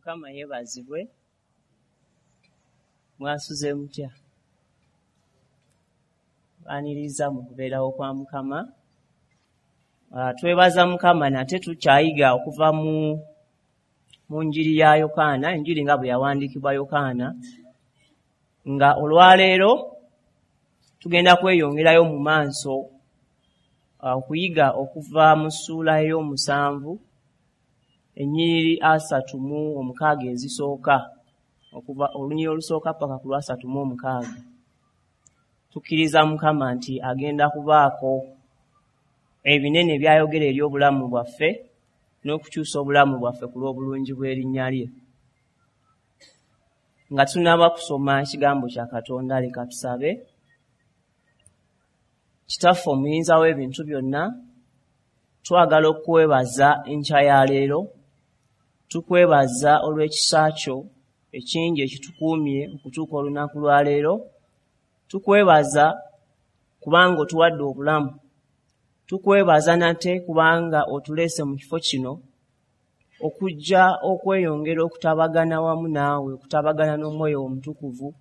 Mukama yeebazibwe. Mwasuze mutya? Baaniriza mu kubeerawo kwa Mukama. Twebaza Mukama nate tukyayiga okuva mu njiri ya Yokaana, enjiri nga bwe yawandiikibwa Yokaana, nga olwaleero tugenda kweyongerayo mu maaso okuyiga okuva mu ssuula ey'omusanvu ennyiriri 36 ezisooka, okuva olunyiriri olusooka paka ku lwasatu mu omukaaga. Tukkiriza Mukama nti agenda kubaako ebinene by'ayogera eri obulamu bwaffe n'okukyusa obulamu bwaffe ku lw'obulungi bw'erinnya lye. Nga tunnaba kusoma ekigambo kya Katonda, leka tusabe. Kitaffe omuyinza w'ebintu byonna, twagala okukwebaza enkya ya leero. Tukwebaza olw'ekisa kyo ekingi ekitukuumye okutuuka olunaku lwa leero. Tukwebaza kubanga otuwadde obulamu. Tukwebaza nate kubanga otuleese mu kifo kino okujja okweyongera okutabagana wamu naawe, okutabagana n'Omwoyo Omutukuvu.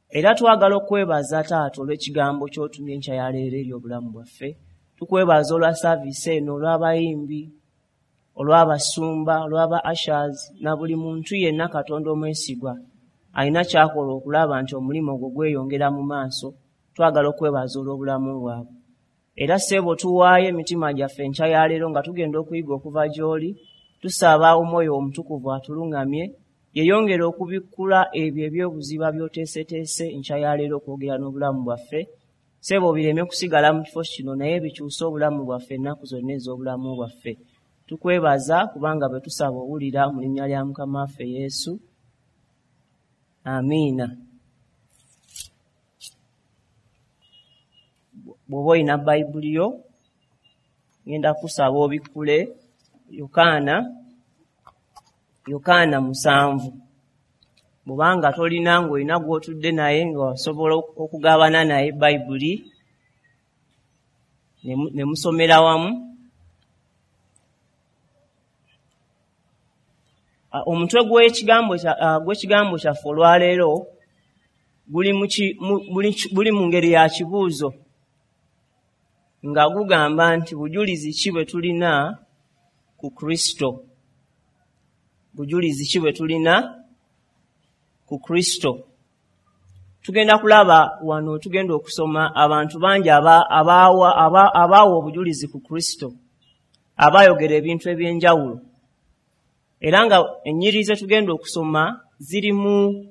Era twagala okwebaza Taata olw'ekigambo ky'otumye enkya ya leero eri obulamu bwaffe. Tukwebaza olwa saaviisi eno, olw'abayimbi, olw'abasumba, olw'aba ushers, na buli muntu yenna Katonda omwesigwa alina ky'akola okulaba nti omulimu ogwo gweyongera mu maaso. Twagala okwebaza olw'obulamu bwabwe. Era ssebo tuwaayo emitima gyaffe enkya ya leero nga tugenda okuyiga okuva gy'oli. Tusaba Omwoyo Omutukuvu atuluŋŋamye, yeeyongere okubikkula ebyo eby'obuziba by'oteeseteese enkya ya leero okwogera n'obulamu bwaffe. Ssebo bireme kusigala mu kifo kino, naye bikyuse obulamu bwaffe ennaku zonna ez'obulamu bwaffe. Tukwebaza kubanga bwe tusaba owulira mu linnya lya Mukama waffe Yesu. Amiina. Bw'oba olina Bayibuli yo, ngenda kusaba obikkule Yokaana 7. Bw'obanga tolina ng'olina gw'otudde naye ng'osobola okugabana naye Bayibuli ne musomera wamu. Omutwe gw'ekigambo kyaffe olwaleero guli mu ngeri ya kibuuzo, nga gugamba nti bujulizi ki bwe tulina ku Kristo? Bujulizi ki bwe tulina ku Kristo? Tugenda kulaba wano, tugenda okusoma abantu bangi abaawa obujulizi ku Kristo, abaayogera ebintu eby'enjawulo. Era nga ennyiriri ze tugenda okusoma zirimu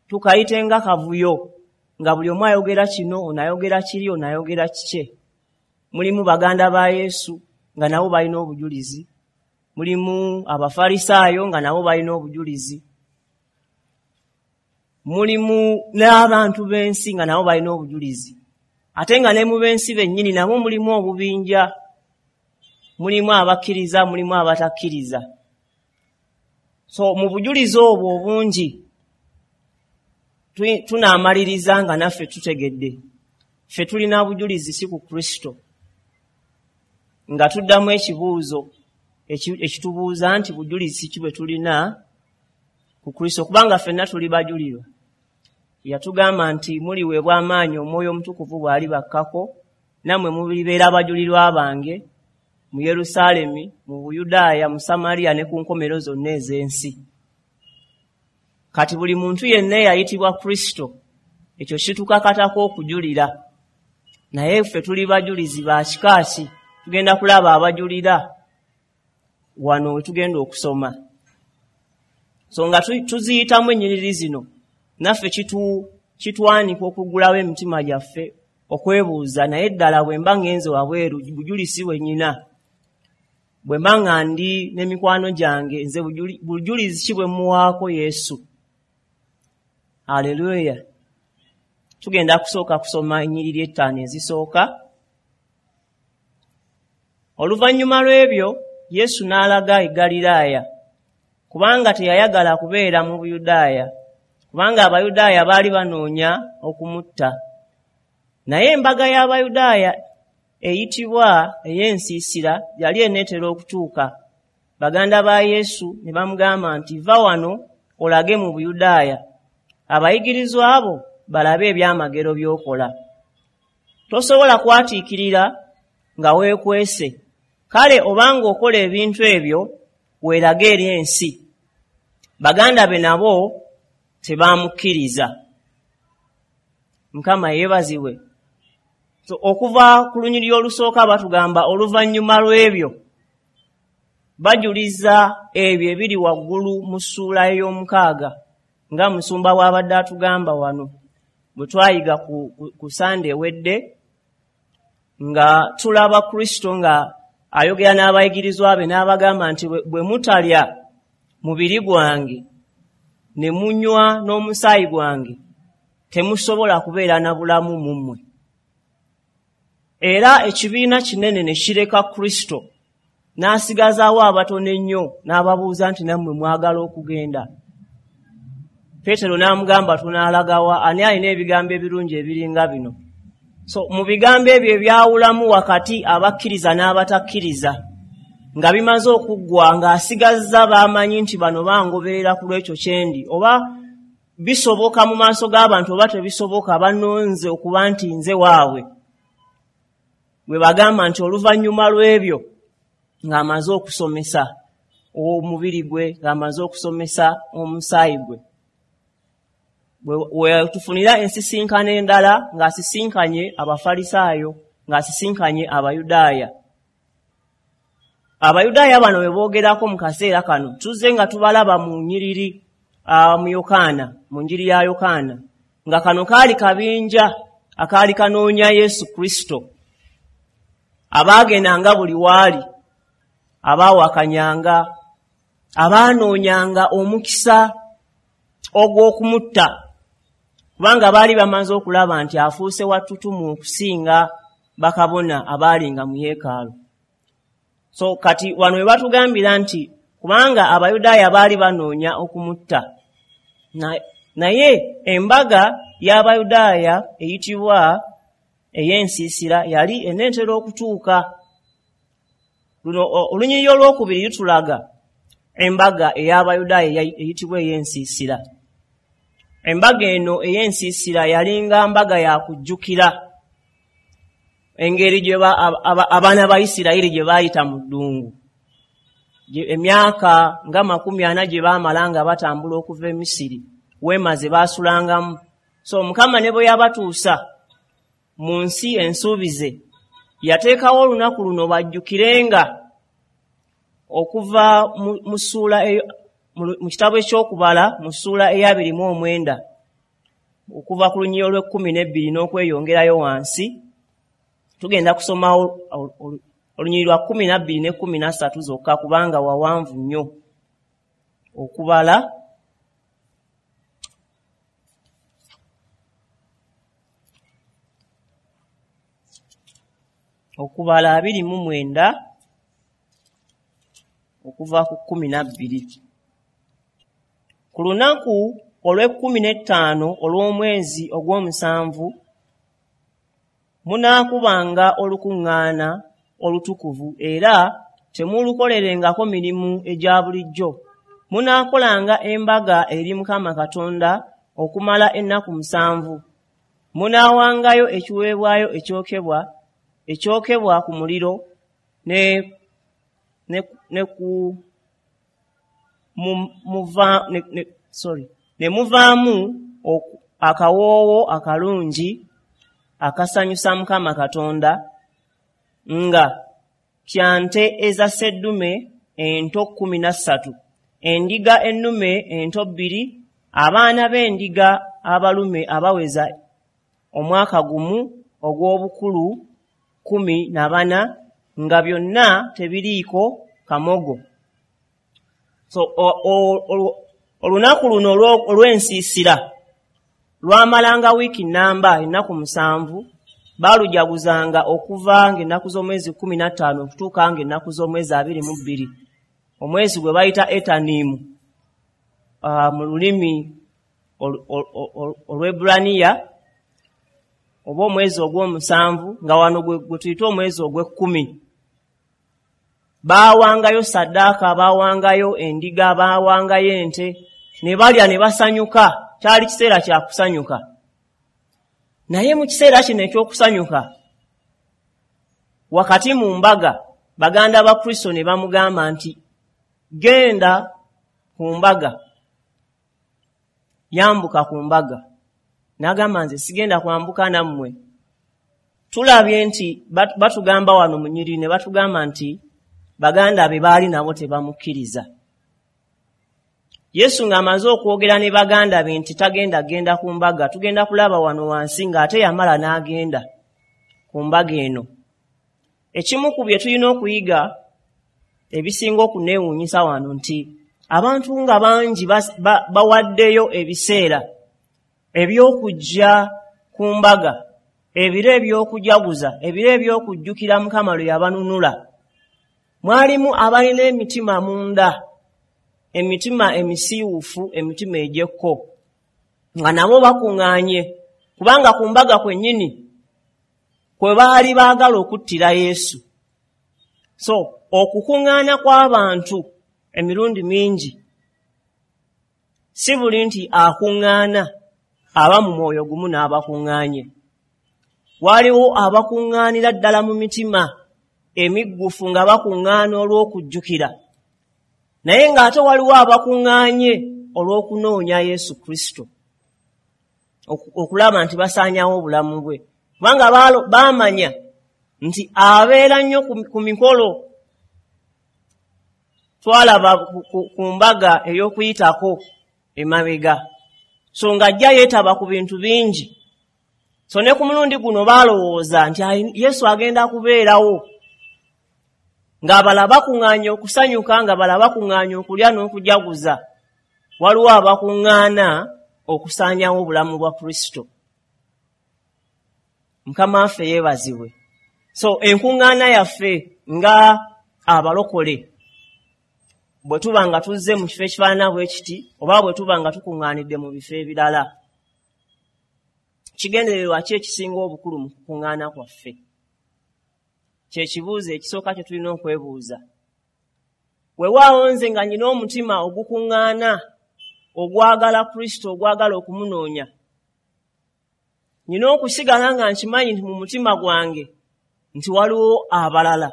tukayite nga kavuyo, nga buli omu ayogera kino, ono ayogera kiri, ono ayogera kikye. Mulimu baganda ba Yesu nga nabo balina obujulizi, mulimu Abafalisaayo nga nabo balina obujulizi, mulimu n'abantu b'ensi nga nabo balina obujulizi. Ate nga ne mu b'ensi bennyini nabo mulimu obubinja, mulimu abakkiriza, mulimu abatakkiriza. So mu bujulizi obwo obungi tunaamaliriza nga naffe tutegedde ffe tulina bujulizi si ku Kristo, nga tuddamu ekibuuzo ekitubuuza nti bujulizi ki bwe tulina ku Kristo, kubanga ffenna tuli bajulirwa. Yatugamba nti muliweebwa amaanyi Omwoyo Omutukuvu bw'alibakkako, nammwe mulibeera abajulirwa bange mu Yerusaalemi, mu Buyudaaya, mu Samaliya ne ku nkomero zonna ez'ensi. Kati buli muntu yenna eyayitibwa Kristo, ekyo kitukakatako okujulira. Naye ffe tuli bajulizi ba kika ki? Tugenda kulaba abajulira wano we tugenda okusoma. So nga tuziyitamu ennyiriri zino, naffe kitwanika okuggulawo emitima gyaffe okwebuuza, naye ddala bwe mba ngenze wabweru bujulizi bwe nnyina, bwe mba nga ndi n'emikwano gyange, nze bujulizi ki bwe mmuwaako Yesu? Haleluya. Tugenda kusooka kusoma ennyiriri 5 ezisooka. Oluvannyuma lw'ebyo Yesu n'alaga e Ggaliraaya, kubanga teyayagala kubeera mu Buyudaaya, kubanga Abayudaaya baali banoonya okumutta. Naye embaga y'Abayudaaya eyitibwa ey'ensiisira yali eneetera okutuuka. Baganda ba Yesu ne bamugamba nti, "Va wano olage mu Buyudaaya, abayigirizwa abo balabe ebyamagero by'okola. Tosobola kwatiikirira nga weekwese. Kale obanga okola ebintu ebyo, weerage eri ensi." Baganda be nabo tebaamukkiriza. Mukama yeebazibwe. So, okuva ku lunyiriri olusooka batugamba oluvannyuma lw'ebyo bajuliza ebyo ebiri waggulu mu ssuula ey'omukaaga, nga musumba bw'abadde atugamba wano bwe twayiga ku Sande ewedde, nga tulaba Kristo nga ayogera n'abayigirizwa be n'abagamba nti, "Bwe mutalya mubiri gwange ne munywa n'omusaayi gwange, temusobola kubeera na bulamu mu mmwe." Era ekibiina kinene ne kireka Kristo, n'asigazaawo abatono ennyo, n'ababuuza nti, "Nammwe mwagala okugenda?" Peetero n'amugamba, "Tunaalagawa? Ani alina ebigambo ebirungi ebiringa bino?" So mu bigambo ebyo ebyawulamu wakati abakkiriza n'abatakkiriza nga bimaze okuggwa, ng'asigazza baamanyi nti bano bangoberera ku lw'ekyo kyendi, oba bisoboka mu maaso g'abantu oba tebisoboka, bannonze okuba nti nze waabwe. Bwe bagamba nti oluvannyuma lw'ebyo, ng'amaze okusomesa omubiri gwe, ng'amaze okusomesa omusaayi gwe, we tufunira ensisinkano endala, ng'asisinkanye Abafalisaayo, ng'asisinkanye Abayudaaya. Abayudaaya bano bwe boogerako mu kaseera kano, tuzze nga tubalaba mu nnyiriri mu Yokaana, mu njiri ya Yokaana, nga kano kaali kabinja akaali kanoonya Yesu Kristo, abaagendanga buli waali, abaawakanyanga, abaanoonyanga omukisa ogw'okumutta, kubanga baali bamaze okulaba nti afuuse wa ttutumu okusinga bakabona abaalinga mu yeekaalu. So kati wano we batugambira nti kubanga Abayudaaya baali banoonya okumutta, naye embaga y'Abayudaaya eyitibwa ey'ensiisira yali eneetera okutuuka. Luno olunyiriri olwokubiri lutulaga embaga ey'Abayudaaya eyitibwa ey'ensiisira. Embaga eno ey'ensiisira yalinga mbaga ya kujjukira engeri gye abaana ba Isirayiri gye baayita mu ddungu, emyaka nga 40 gye baamala nga batambula okuva e Misiri, weema ze baasulangamu. So Mukama ne bwe yabatuusa mu nsi ensuubize, yateekawo olunaku luno bajjukirenga okuva mu ssuula mu kitabo eky'Okubala mu ssuula eya 29, okuva ku lunyiriri olw'e12 n'okweyongerayo wansi. Tugenda kusomawo olunyiriri lwa 12 ne 13 zokka, kubanga wawanvu nnyo. Okubala 29 okuva ku 12. Ku lunaku olw'e15 olw'omwezi ogw'omusanvu munaakubanga olukuŋŋaana olutukuvu, era temulukolerengako mirimu egya bulijjo. Munaakolanga embaga eri Mukama Katonda okumala ennaku 7. Munaawangayo ekiweebwayo ekyokebwa ku muliro ne ne ne ku mu, muva, ne, ne, sorry, ne muvaamu akawoowo akalungi akasanyusa Mukama Katonda, nga kya nte eza sseddume ento 13, endiga ennume ento 2, abaana b'endiga abalume abaweza omwaka gumu ogw'obukulu 14, nga byonna tebiriiko kamogo. So olunaku luno olw'ensiisira lwamalanga wiiki nnamba, ennaku 7. Baalujaguzanga okuva ng'ennaku z'omwezi 15 okutuuka ng'ennaku z'omwezi 22, omwezi gwe bayita Etanimu mu lulimi Olweburaniya, oba omwezi ogw'omusanvu, nga wano gwe tuyita omwezi ogw'ekkumi. Baawangayo saddaaka, baawangayo endiga, baawangayo ente, ne balya ne basanyuka. Kyali kiseera kya kusanyuka. Naye mu kiseera kino eky'okusanyuka, wakati mu mbaga, baganda ba Kristo ne bamugamba nti genda ku mbaga, yambuka ku mbaga. N'agamba nze sigenda kwambuka nammwe. Tulabye nti batugamba wano mu nnyiriri ne batugamba nti baganda be baali nabo tebamukkiriza. Yesu ng'amaze okwogera ne baganda be nti tagenda genda ku mbaga, tugenda kulaba wano wansi ng'ate yamala n'agenda ku mbaga eno. Ekimu ku bye tulina okuyiga ebisinga okuneewuunyisa wano nti abantu nga bangi bawaddeyo ebiseera eby'okujja ku mbaga, ebiro eby'okujaguza, ebiro eby'okujjukira Mukama lwe yabanunula. Mwalimu abalina emitima munda, emitima emisiiwuufu, emitima egy'ekko, nga nabo bakuŋŋaanye, kubanga ku mbaga kwennyini kwe baali baagala okuttira Yesu. So okukuŋŋaana kw'abantu emirundi mingi si buli nti akuŋŋaana aba mu mwoyo gumu n'abakuŋŋaanye. Waliwo abakuŋŋaanira ddala mu mitima emiggufu nga bakuŋŋaana olw'okujjukira, naye ng'ate waliwo abakuŋŋaanye olw'okunoonya Yesu Kristo, okulaba nti basaanyawo obulamu bwe, kubanga baamanya nti abeera nnyo ku mikolo. Twalaba ku mbaga ey'okuyitako emabega, so ng'ajja yeetaba ku bintu bingi. So ne ku mulundi guno baalowooza nti Yesu agenda kubeerawo, ng'abalala bakuŋŋaanye okusanyuka, ng'abalala bakuŋŋaanye okulya n'okujaguza. Waliwo abakuŋŋaana okusaanyawo obulamu bwa Kristo. Mukama waffe yeebazibwe. So enkuŋŋaana yaffe nga abalokole, bwe tuba nga tuzze mu kifo ekifaanana bwe kiti, oba bwe tuba nga tukuŋŋaanidde mu bifo ebirala, kigendererwa ki ekisinga obukulu mu kukuŋŋaana kwaffe? Kye kibuuzo ekisooka kye tulina okwebuuza. Weewaawo nze nga nnina omutima ogukuŋŋaana, ogwagala Kristo, ogwagala okumunoonya, nnina okusigala nga nkimanyi nti mu mutima gwange nti waliwo abalala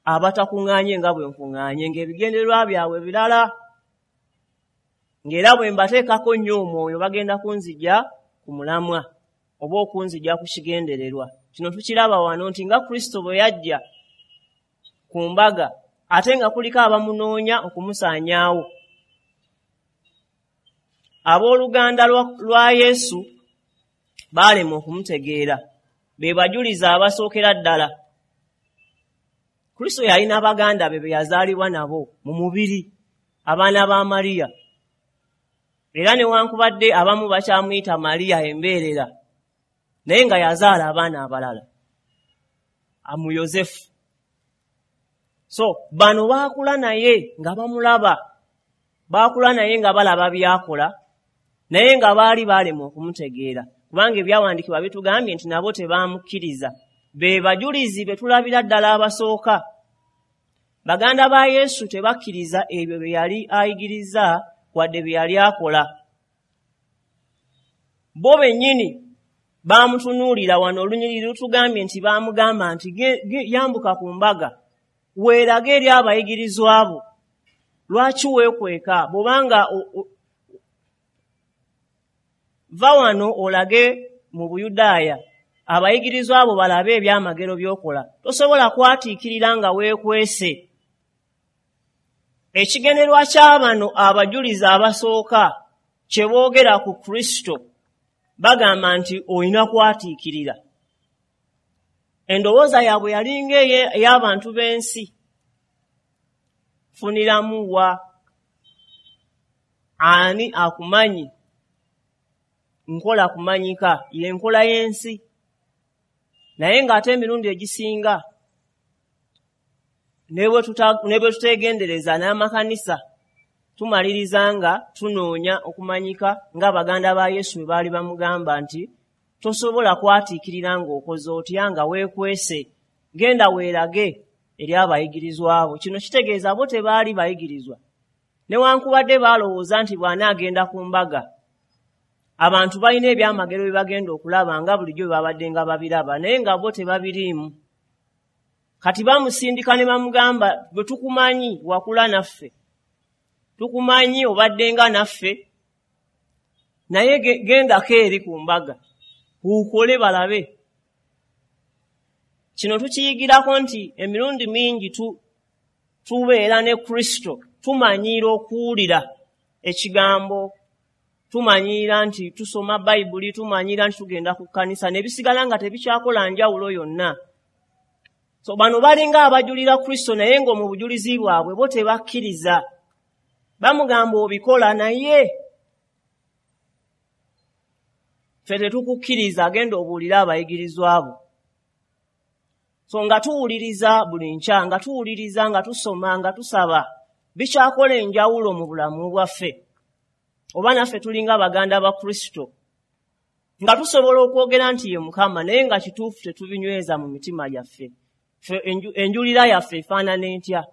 abatakuŋŋaanye nga bwe nkuŋŋaanye, ng'ebigendererwa byabwe birala, ng'era bwe mbateekako nnyo omwoyo bagenda kunzija ku mulamwa oba okunzija ku kigendererwa. Kino tukiraba wano nti nga Kristo bwe yajja ku mbaga, ate nga kuliko abamunoonya okumusaanyaawo. Abooluganda lwa Yesu baalema okumutegeera, be bajulizi abasookera ddala. Kristo yalina baganda be be yazaalibwa nabo mu mubiri, abaana ba Mariya. Era newankubadde abamu bakyamuyita Mariya embeerera, naye nga yazaala abaana abalala mu Yosefu. So bano baakula naye nga bamulaba, baakula naye nga balaba by'akola, naye nga baali baalema okumutegeera, kubanga ebyawandiikibwa bitugambye nti nabo tebaamukkiriza. Be bajulizi be tulabira ddala abasooka. Baganda ba Yesu tebakkiriza ebyo bye yali ayigiriza wadde bye yali akola. Bo bennyini baamutunuulira. Wano olunyiriri lutugambye nti baamugamba nti yambuka ku mbaga, weerage eri abayigirizwa bo. Lwaki weekweka? Bw'obanga va wano olage mu Buyudaaya, abayigirizwa abo balabe ebyamagero by'okola. Tosobola kwatiikirira nga weekwese. Ekigendererwa kya bano abajulizi abasooka kye boogera ku Kristo, bagamba nti olina kwatiikirira. Endowooza yaabwe yalinga ey'abantu b'ensi. Funiramu wa? Ani akumanyi? Nkola kumanyika, y'enkola y'ensi. Naye ng'ate emirundi egisinga ne bwe tuteegendereza n'amakanisa, tumaliriza nga tunoonya okumanyika ng'abaganda ba Yesu bwe baali bamugamba nti tosobola kwatiikirira ng'okoze otya nga weekwese, genda weerage. eri abayigirizwa bo. Kino kitegeeza bo tebaali bayigirizwa, newankubadde baalowooza nti bw'anaagenda ku mbaga abantu balina ebyamagero bye bagenda okulaba nga bulijjo bwe babadde nga babiraba, naye nga bo tebabiriimu. Kati bamusindika ne bamugamba, bwe tukumanyi wakula naffe, tukumanyi obadde nga naffe, naye gendako eri ku mbaga ukole balabe. Kino tukiyigirako nti emirundi mingi tubeera ne Kristo, tumanyiira okuwulira ekigambo, tumanyiira nti tusoma Bayibuli, tumanyiira nti tugenda ku kkanisa, ne bisigala nga tebikyakola njawulo yonna. So bano balinga abajulira Kristo, naye ng'omu bujulizi bwabwe bo tebakkiriza. Bamugamba obikola, naye ffe tetukukkiriza, agenda obuulire abayigirizwa bo. So nga tuwuliriza buli nkya, nga tuwuliriza, nga tusoma, nga tusaba, bikyakola enjawulo mu bulamu bwaffe. Oba naffe tulinga baganda ba Kristo, nga tusobola okwogera nti ye Mukama, naye nga kituufu tetubinyweza mu mitima gyaffe. Ffe enjulira yaffe efaanana entya?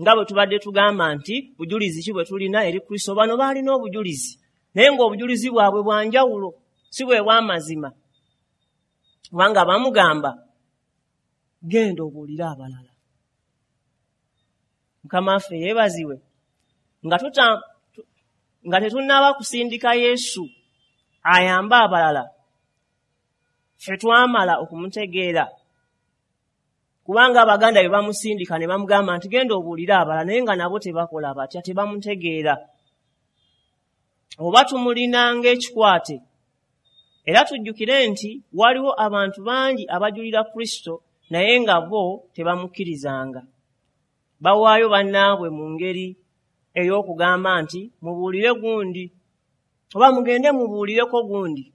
Nga bwe tubadde tugamba nti bujulizi ki bwe tulina eri Kristo, bano baalina obujulizi, naye ng'obujulizi bwabwe bwa njawulo, si bwe bw'amazima. Kubanga bamugamba genda obuulire abalala. Mukama waffe yeebazibwe. Nga tetunnaba kusindika Yesu ayambe abalala, ffe twamala okumutegeera. Kubanga abaganda be bamusindika ne bamugamba nti genda obuulire abalala, naye nga nabo tebakola batya, tebamutegeera. Oba tumulina ng'ekikwate. Era tujjukire nti waliwo abantu bangi abajulira Kristo, naye nga bo tebamukkirizanga. Bawaayo bannaabwe mu ngeri ey'okugamba nti mubuulire gundi, oba mugende mubuulireko gundi.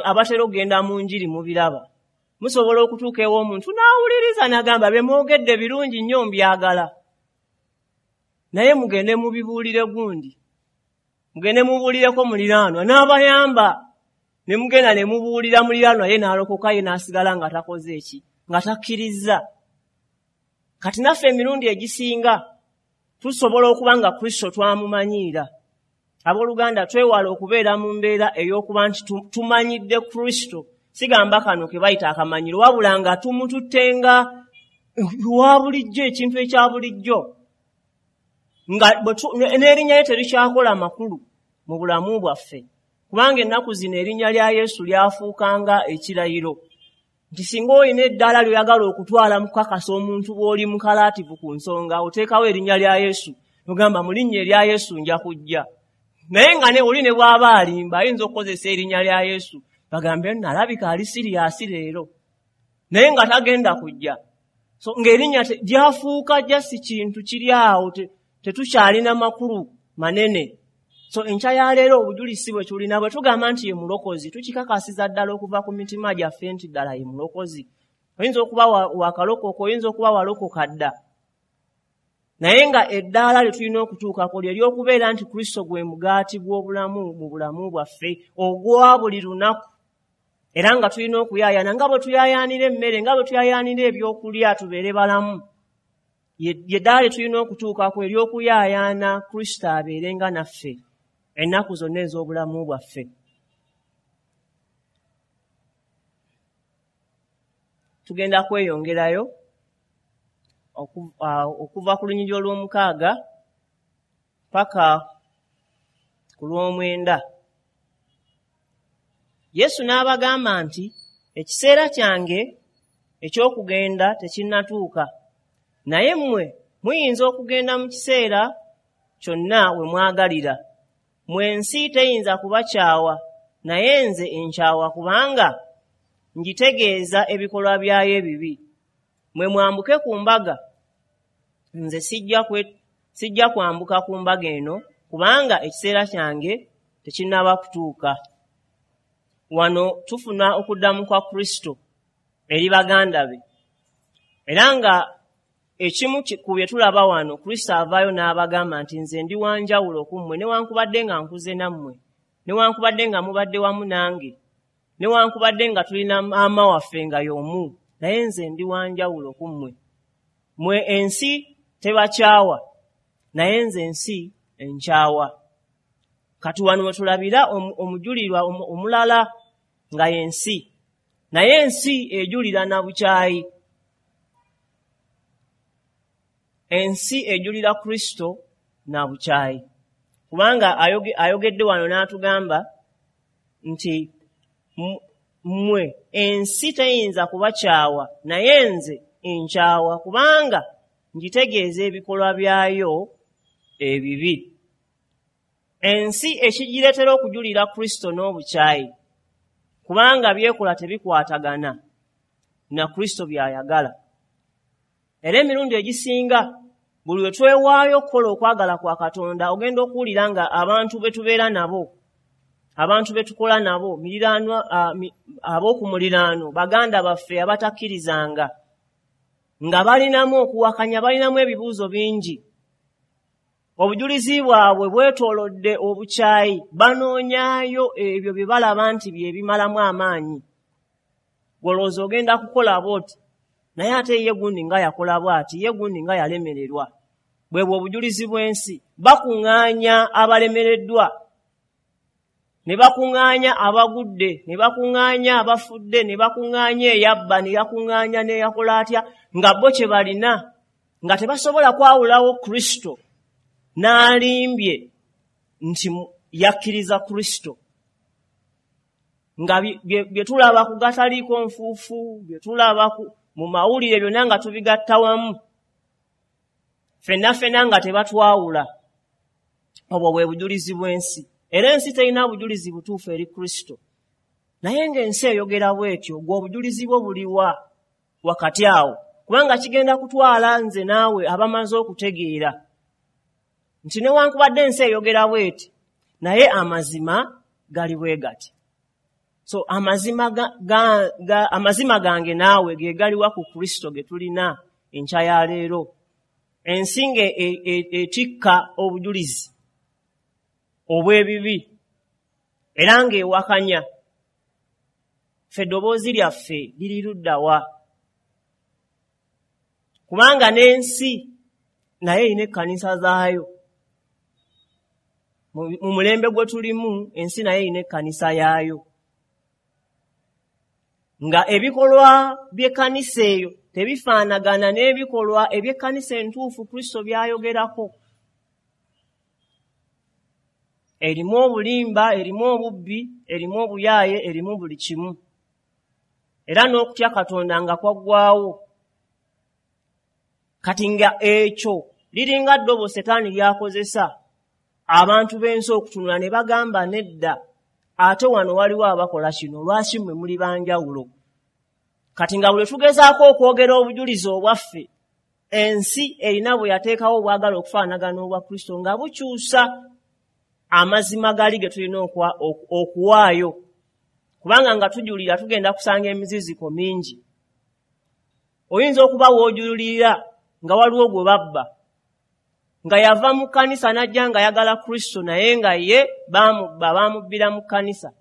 Abatera okugenda mu njiri mubiraba. Musobola okutuuka ew'omuntu n'awuliriza n'agamba bye mwogedde birungi nnyo mbyagala, naye mugende mubibuulire gundi, mugende mubuulireko muliraanwa, n'abayamba. Ne mugenda ne mubuulira muliraanwa, ye n'alokoka, ye n'asigala nga takoze eki, nga takkirizza. Kati naffe emirundi egisinga tusobola okuba nga Kristo twamumanyiira. Abooluganda, twewala okubeera mu mbeera ey'okuba nti tumanyidde Kristo. Sigamba kano ke bayita akamanyiro, wabula nga tumututtenga wa bulijjo, ekintu ekya bulijjo, nga n'erinnya lye terikyakola makulu mu bulamu bwaffe. Kubanga ennaku zino erinnya lya Yesu lyafuukanga ekirayiro, nti singa olina eddaala ly'oyagala okutwala mu kukakasa omuntu bw'oli mukalaativu ku nsonga, oteekawo erinnya lya Yesu, ogamba mu linnya erya Yesu nja kujja. Naye nga ne oli ne bw'aba alimba ayinza okukozesa erinnya lya Yesu, bagambe nalabika ali siriyasi leero, naye nga tagenda kujja. So ng'erinnya lyafuuka jasi kintu kiri awo, tetukyalina makulu manene. So enkya ya leero obujulizi bwe tulina bwe tugamba nti ye mulokozi, tukikakasiza ddala okuva ku mitima gyaffe nti ddala ye mulokozi. Oyinza okuba wakalokoka, oyinza okuba walokoka dda, naye nga eddaala lye tulina okutuukako lye ly'okubeera nti Kristo gwe mugaati gw'obulamu mu bulamu bwaffe ogwa buli lunaku. Era nga tulina okuyaayaana nga bwe tuyaayaanira emmere, nga bwe tuyaayaanira ebyokulya, tubeere balamu. Ye ddaala lye tulina okutuukako ery'okuyaayaana Kristo abeerenga naffe ennaku zonna ez'obulamu bwaffe. Tugenda kweyongerayo okuva ku lunyiriri olw'omukaaga paka ku lw'omwenda. Yesu n'abagamba nti ekiseera kyange eky'okugenda tekinnatuuka, naye mmwe muyinza okugenda mu kiseera kyonna we mwagalira. Mmwe ensi teyinza kubakyawa, naye nze enkyawa kubanga ngitegeeza ebikolwa byayo ebibi. Mmwe mwambuke ku mbaga, nze sijja kwambuka ku mbaga eno, kubanga ekiseera kyange tekinnaba kutuuka. Wano tufuna okuddamu kwa Kristo eri baganda be. Era nga ekimu ku bye tulaba wano, Kristo avaayo n'abagamba nti nze ndi wa njawulo ku mmwe, newankubadde nga nkuze nammwe, newankubadde nga mubadde wamu nange, newankubadde nga tulina maama waffe nga y'omu, naye nze ndi wa njawulo ku mmwe. Mmwe ensi tebakyawa, naye nze ensi enkyawa. Kati wano we tulabira omujulirwa omulala nga y'ensi, naye ensi ejulira na bukyayi. Ensi ejulira Kristo na bukyayi, kubanga ayogedde wano n'atugamba nti mmwe ensi teyinza kubakyawa, naye nze enkyawa, kubanga ngitegeeza ebikolwa byayo ebibi. Ensi ekigireetera okujulira Kristo n'obukyayi, kubanga byekola tebikwatagana na Kristo by'ayagala. Era emirundi egisinga buli lwe twewaayo okukola okwagala kwa Katonda, ogenda okuwulira nga abantu be tubeera nabo, abantu be tukola nabo, ab'oku muliraano, baganda baffe abatakkirizanga, nga balinamu okuwakanya, balinamu ebibuuzo bingi. Obujulizi bwabwe bwetoolodde obukyayi, banoonyaayo ebyo bye balaba nti bye bimalamu amaanyi. Gw'olowooza ogenda kukola bw'oti, naye ate ye gundi nga yakola bw'ati, ye gundi nga yalemererwa. Bwe bwe obujulizi bw'ensi. Bakuŋŋaanya abalemereddwa, ne bakuŋŋaanya abagudde, ne bakuŋŋaanya abafudde, ne bakuŋŋaanya eyabba, ne yakuŋŋaanya n'eyakola atya, nga bo kye balina, nga tebasobola kwawulawo Kristo n'alimbye nti yakkiriza Kristo. Nga bye tulaba ku gataliiko nfuufu, bye tulaba mu mawulire byonna nga tubigatta wamu, ffenna ffenna nga tebatwawula. Obwo bwe bujulizi bw'ensi. Era ensi terina bujulizi butuufu eri Kristo, naye ng'ensi eyogera bw'etyo. Gwe obujulizi bwo buliwa wakati awo? Kubanga kigenda kutwala nze naawe abamaze okutegeera nti newankubadde ensi eyogera bw'eti, naye amazima gali bwe gati. So amazima gange naawe ge galiwa ku Kristo ge tulina enkya ya leero. Ensi ng'etikka obujulizi obw'ebibi era ng'ewakanya, ffe eddoboozi lyaffe liri ludda wa? Kubanga n'ensi naye erina ekkanisa zaayo. Mu mulembe gwe tulimu, ensi naye erina ekkanisa yaayo, nga ebikolwa by'ekkanisa eyo tebifaanagana n'ebikolwa eby'ekkanisa entuufu Kristo by'ayogerako. Erimu obulimba, erimu obubbi, erimu obuyaaye, erimu buli kimu, era n'okutya Katonda nga kwaggwaawo. Kati nga ekyo liringa ddobo Setaani ly'akozesa abantu b'ensi okutunula ne bagamba nedda, ate wano waliwo abakola kino, lwaki mmwe muli banjawulo? Kati nga buli tugezaako okwogera obujulizi obwaffe, ensi erina bwe yateekawo obwagala okufaanagana obwa Kristo, nga bukyusa amazima gali ge tulina okuwaayo. Kubanga nga tujulira tugenda kusanga emiziziko mingi. Oyinza okuba w'ojulirira nga waliwo gwe babba, nga yava mu kkanisa n'ajja ng'ayagala Kristo, naye nga ye baamubba, baamubbira mu kkanisa.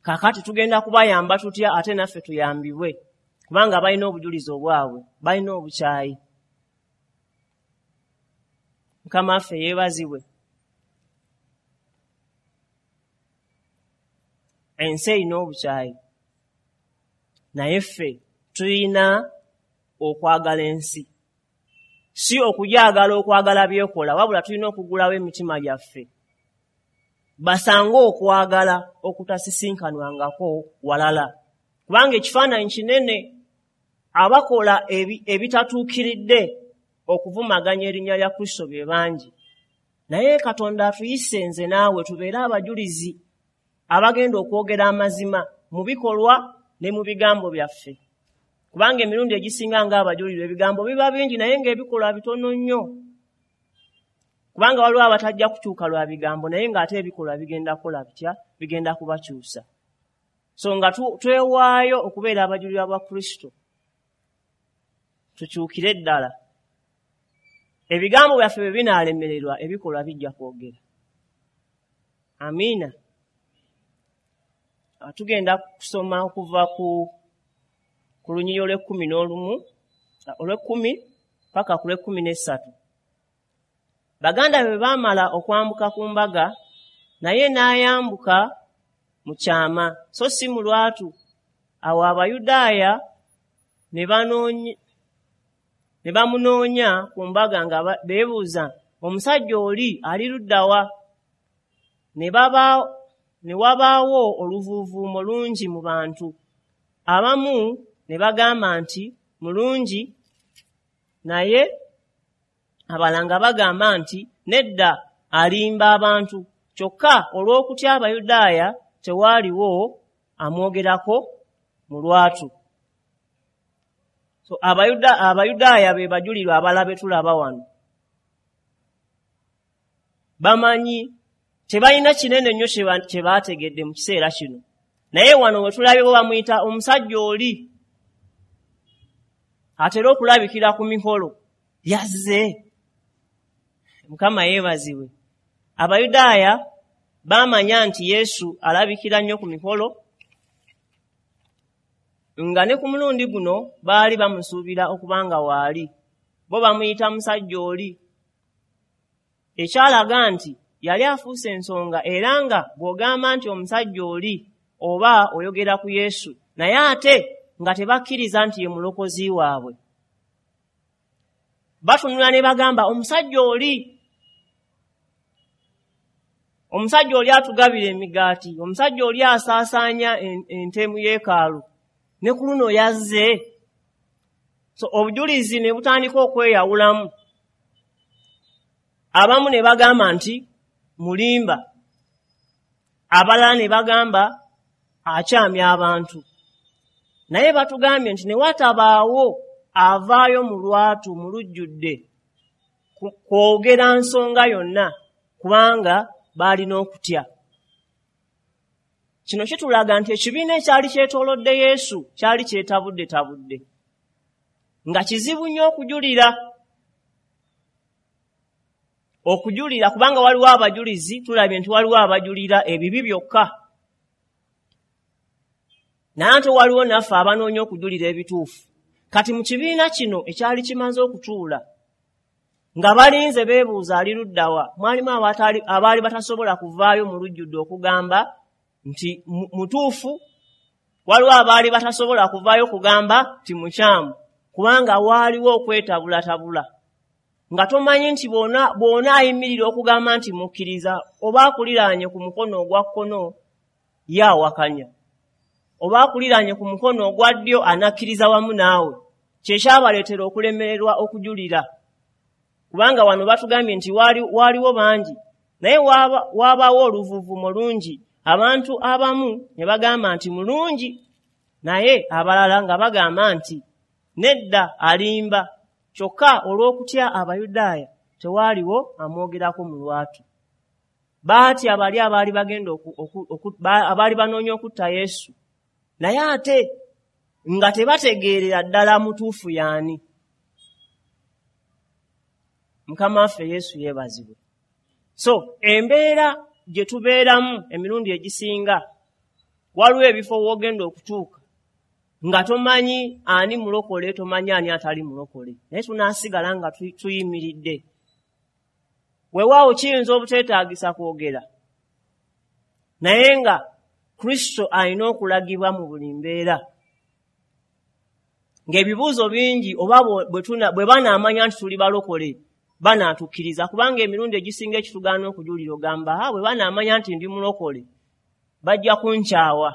Kaakati tugenda kubayamba tutya ate naffe tuyambibwe? Kubanga balina obujulizi obwabwe, balina obukyayi. Mukama waffe yeebazibwe. Ensi erina obukyayi, naye ffe tulina okwagala ensi. Si okugyagala okwagala byekola, wabula tulina okugulawo emitima gyaffe basange okwagala okutasisinkanwangako walala. Kubanga ekifaananyi kinene, abakola ebitatuukiridde okuvumaganya erinnya lya Kristo be bangi. Naye Katonda atuyise nze naawe tubeere abajulizi abagenda okwogera amazima mu bikolwa ne mu bigambo byaffe. Kubanga emirundi egisinga ng'abajulirwa ebigambo biba bingi, naye ng'ebikolwa bitono nnyo. Kubanga waliwo abatajja kukyuka lwa bigambo, naye ng'ate ebikolwa bigenda kukola bitya? Bigenda kubakyusa. So nga twewaayo okubeera abajulirwa ba Kristo, tukyukire ddala. Ebigambo byaffe bwe binaalemererwa, ebikolwa bijja kwogera. Amiina. Tugenda kusoma okuva ku lunyiriri olw'ekumi n'olumu, olw'ekumi paka ku lw'ekumi n'essatu. Baganda be baamala okwambuka ku mbaga, naye n'ayambuka mu kyama so si mu lwatu. Awo Abayudaaya ne bamunoonya ku mbaga nga beebuuza, "Omusajja oli ali ludda wa?" Ne wabaawo oluvuuvuumo lungi mu bantu. Abamu ne bagamba nti mulungi, naye abalala nga bagamba nti nedda, alimba abantu. Kyokka olw'okutya Abayudaaya tewaaliwo amwogerako mu lwatu. So Abayudaaya be bajulirwa abalala be tulaba wano. Bamanyi tebalina kinene nnyo kye baategedde mu kiseera kino, naye wano we tulabye bo bamuyita omusajja oli atera okulabikira ku mikolo, yazze. Mukama yeebazibwe. Abayudaaya baamanya nti Yesu alabikira nnyo ku mikolo, nga ne ku mulundi guno baali bamusuubira okuba nga waali. Bo bamuyita musajja oli, ekyalaga nti yali afuuse ensonga, era nga bw'ogamba nti omusajja oli oba oyogera ku Yesu, naye ate nga tebakkiriza nti ye mulokozi waabwe. Batunula ne bagamba, "Omusajja oli, omusajja oli atugabira emigaati, omusajja oli asaasaanya ente mu yeekaalu, ne ku luno yazze." So obujulizi ne butandika okweyawulamu. Abamu ne bagamba nti mulimba, abalala ne bagamba akyamya abantu. Naye batugambye nti ne watabaawo avaayo mu lwatu mu lujjudde kwogera nsonga yonna, kubanga baalina okutya. Kino kitulaga nti ekibiina ekyali kyetoolodde Yesu kyali kyetabuddetabudde, nga kizibu nnyo okujulira, kubanga waliwo abajulizi. Tulabye nti waliwo abajulira ebibi byokka, naye ate waliwo naffe abanoonya okujulira ebituufu. Kati mu kibiina kino ekyali kimaze okutuula nga balinze beebuuza ali luddawa, mwalimu abaali batasobola kuvaayo mu lujjudde okugamba nti mutuufu, waliwo abaali batasobola kuvaayo kugamba nti mukyamu, kubanga waaliwo okwetabulatabula, nga tomanyi nti bw'ona ayimirira okugamba nti mukkiriza, oba akuliraanye ku mukono ogwa kkono ye awakanya, oba akuliraanye ku mukono ogwa ddyo anakkiriza wamu naawe. Kyekyabaleetera okulemererwa okujulira, kubanga wano batugambye nti waaliwo bangi, naye waabaawo oluvuuvuumo lungi. Abantu abamu ne bagamba nti mulungi, naye abalala nga bagamba nti nedda, alimba. Kyokka olw'okutya Abayudaaya tewaaliwo amwogerako mu lwatu. Baatya bali abaali bagenda abaali banoonya okutta Yesu, naye ate nga tebategeerera ddala mutuufu y'ani. Mukama waffe Yesu yeebazibwe. So embeera gye tubeeramu emirundi egisinga, waliwo ebifo w'ogenda okutuuka nga tomanyi ani mulokole, tomanyi ani atali mulokole, naye tunaasigala nga tuyimiridde. Weewaawo kiyinza obuteetaagisa kwogera, naye nga Kristo alina okulagibwa mu buli mbeera, ng'ebibuuzo bingi oba bwe banaamanya nti tuli balokole banaatukkiriza, kubanga emirundi egisinga ekitugaana okujulira ogamba, "Ha, bwe banaamanya nti ndi mulokole bajja kunkyawa,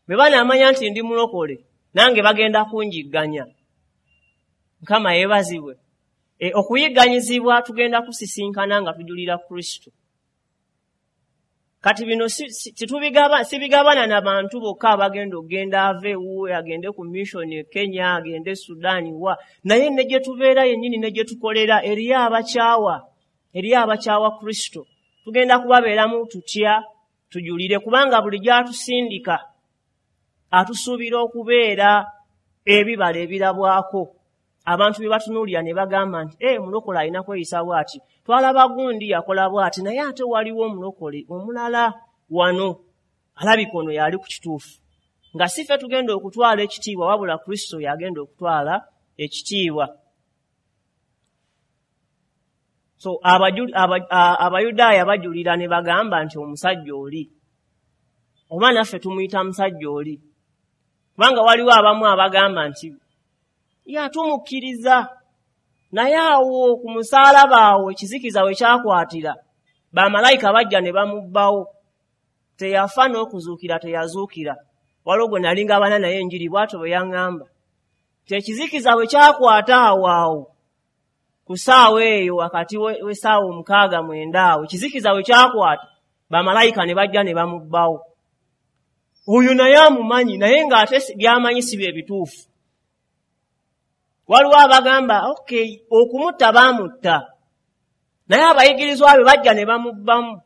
bwe banaamanya nti ndi mulokole nange bagenda kunjigganya." Mukama yeebazibwe. Okuyigganyizibwa tugenda kusisinkana nga tujulira Kristo. Kati bino sibigabana na bantu bokka abagenda okugenda ava ewuwe agende ku mission e Kenya, agende Sudaani wa, naye ne gye tubeera yennyini ne gye tukolera eriyo abakyawa, eriyo abakyawa Kristo. Tugenda kubabeeramu tutya tujulire? Kubanga buli gy'atusindika atusuubira okubeera ebibala ebirabwako, abantu bye batunuulira ne bagamba nti, "E, omulokole alina kweyisa bw'ati. Twalaba gundi yakola bw'ati, naye ate waliwo omulokole omulala wano." Alabika ono yali ku kituufu. Nga si ffe tugenda okutwala ekitiibwa, wabula Kristo yagenda okutwala ekitiibwa. So Abayudaaya bajulira ne bagamba nti omusajja oli, oba naffe tumuyita musajja oli, kubanga waliwo abamu abagamba nti yatumukkiriza, naye awo ku musaalaba awo ekizikiza we kyakwatira, bamalayika bajja ne bamubbawo, teyafa n'okuzuukira teyazuukira. Waliwo gwe nali ngabana naye enjiri bw'atyo bwe yaŋŋamba nti ekizikiza bwe kyakwata awo awo ku ssaawa eyo wakati w'essaawa 6:09 awo ekizikiza bwe kyakwata, bamalayika ne bajja ne bamubbawo. Oyo naye amumanyi, naye ng'ate by'amanyi si bye bituufu. Waliwo abagamba okay, okumutta baamutta, naye abayigirizwa be bajja ne bamubbamu.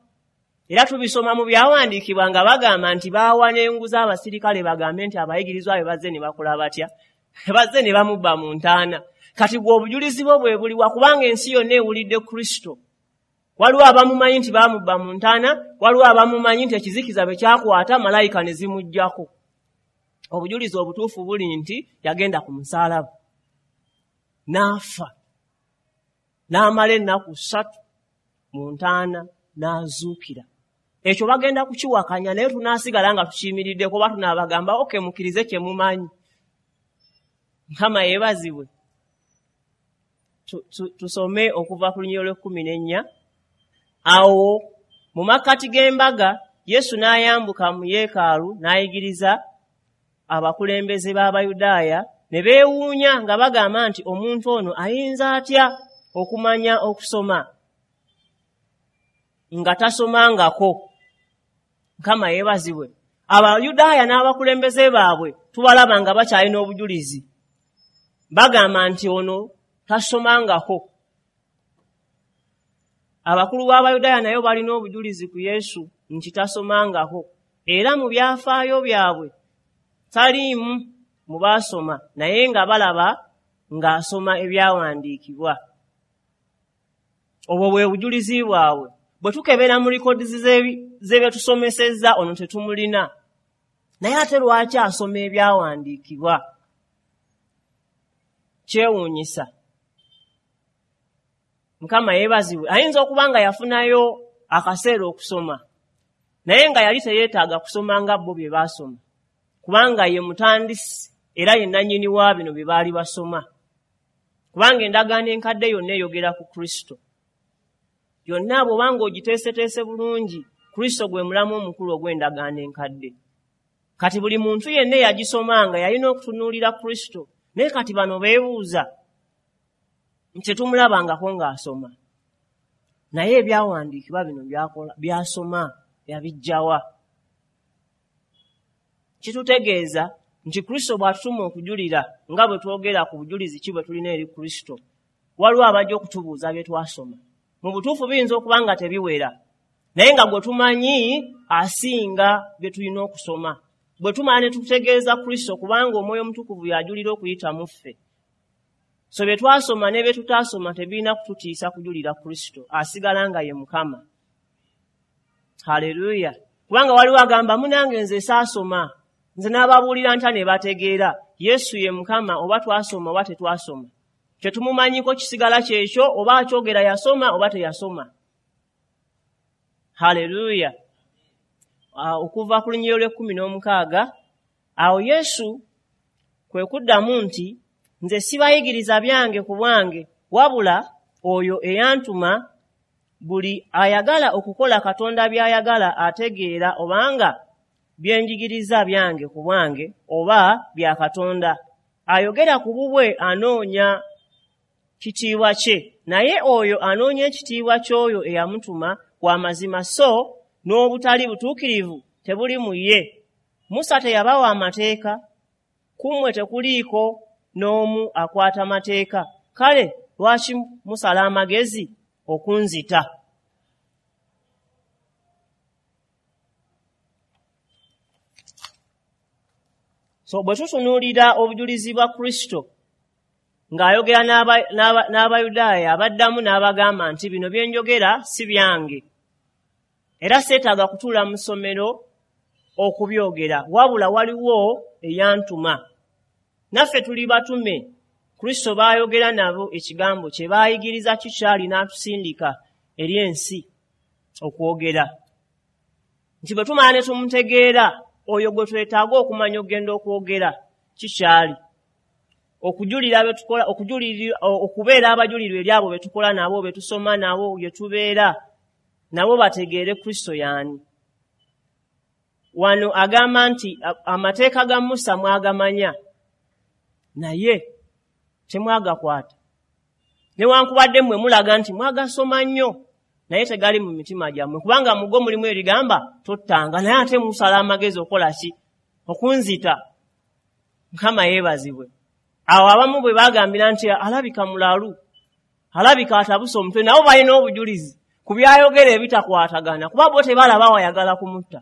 Era tubisoma mu byawandiikibwa nga bagamba nti baawa n'enguzi abasirikale bagambe nti abayigirizwa be bazze ne bakola batya, bazze ne bamubba mu ntaana. Kati gwe obujulizi bwo bwe buliwa? Kubanga ensi yonna ewulidde Kristo. Waliwo abamumanyi nti baamubba mu ntaana, waliwo abamumanyi nti ekizikiza bwe kyakwata malayika ne zimuggyako. Obujulizi obutuufu buli nti yagenda ku musaalaba n'afa, n'amala ennaku 3 mu ntaana n'azuukira. Ekyo bagenda kukiwakanya, naye tunaasigala nga tukiyimiriddeko oba tunaabagamba okay, mukkirize kye mumanyi. Mukama yeebazibwe. Tusome okuva ku lunyiriri lw'e14. Awo mu makkati g'embaga Yesu n'ayambuka mu yeekaalu n'ayigiriza abakulembeze b'Abayudaaya, ne beewuunya nga bagamba nti omuntu ono ayinza atya okumanya okusoma nga tasomangako? Mukama yeebazibwe. Abayudaaya n'abakulembeze baabwe tubalaba nga bakyalina obujulizi, bagamba nti ono tasomangako. Abakulu b'Abayudaaya nayo balina obujulizi ku Yesu nti tasomangako, era mu byafaayo byabwe taliimu mu baasoma, naye nga balaba ng'asoma ebyawandiikibwa. Obwo bwe bujulizi bwabwe. Bwe tukebera mu likodi ze betusomesezza ono tetumulina, naye ate lwaki asoma ebyawandiikibwa? Kyewuunyisa. Mukama yeebazibwe. Ayinza okuba nga yafunayo akaseera okusoma, naye nga yali teyeetaaga kusoma nga bo bye baasoma, kubanga ye mutandisi era ye nannyini wa bino bye baali basoma. Kubanga endagaano enkadde yonna eyogera ku Kristo. Yonna bw'obanga ogiteeseteese bulungi, Kristo gwe mulamu omukulu ogw'endagaano enkadde. Kati buli muntu yenna eyagisomanga yalina okutunuulira Kristo, naye kati bano beebuuza nti tetumulabangako ng'asoma, naye ebyawandiikibwa bino byasoma yabiggyawa? Kitutegeeza nti Kristo bw'atutuma okujulira, nga bwe twogera ku bujulizi ki bwe tulina eri Kristo, waliwo abajja okutubuuza bye twasoma. Mu butuufu biyinza okuba nga tebiwera, naye nga gwe tumanyi asinga bye tulina okusoma. Bwe tumala ne tutegeeza Kristo, kubanga Omwoyo Omutukuvu y'ajulira okuyita mu ffe. So bye twasoma ne bye tutaasoma tebirina kututiisa kujulira Kristo, asigala nga ye Mukama. Haleluya. Kubanga waliwo agamba munange nze saasoma, nze n'ababuulira nta ne bategeera. Yesu ye Mukama, oba twasoma oba tetwasoma. Kye tumumanyiko kisigala kyekyo, oba akyogera yasoma oba teyasoma. Haleluya. Okuva ku lunyiriri lw'e16, awo Yesu kwe kuddamu nti nze sibayigiriza byange ku bwange, wabula oyo eyantuma. Buli ayagala okukola Katonda by'ayagala ategeera obanga byenjigiriza byange ku bwange oba bya Katonda. Ayogera ku bubwe anoonya kitiibwa kye, naye oyo anoonya ekitiibwa ky'oyo eyamutuma wa mazima, so n'obutali butuukirivu tebuli mu ye. Musa teyabawa amateeka? Ku mmwe tekuliiko n'omu akwata mateeka. Kale lwaki musala amagezi okunzita? So bwe tutunuulira obujulizi bwa Kristo ng'ayogera n'Abayudaaya, abaddamu n'abagamba nti bino bye njogera si byange, era seetaaga kutuula mu ssomero okubyogera, wabula waliwo eyantuma. Naffe tuli batume, Kristo baayogera nabo ekigambo kye, baayigiriza kikyali n'atusindika eri ensi okwogera. Nti bwe tumala ne tumutegeera, oyo gwe twetaaga okumanya okugenda okwogera kikyali. Okujulira be tukola, okubeera abajulirwa eri abo be tukola nabo, be tusoma nabo, gye tubeera nabo, bategeere Kristo y'ani. Wano agamba nti amateeka ga Musa mwagamanya, naye temwagakwata. Newankubadde mmwe mulaga nti mwagasoma nnyo, naye tegali mu mitima gyammwe, kubanga mu go mulimu erigamba tottanga, naye ate musala amagezi okukola ki? Okunzita. Mukama yeebazibwe. Awo abamu bwe bagambira nti alabika mulalu, alabika atabuse omutwe, nabo balina obujulizi ku byayogera ebitakwatagana, kuba bo tebalaba wayagala kumutta.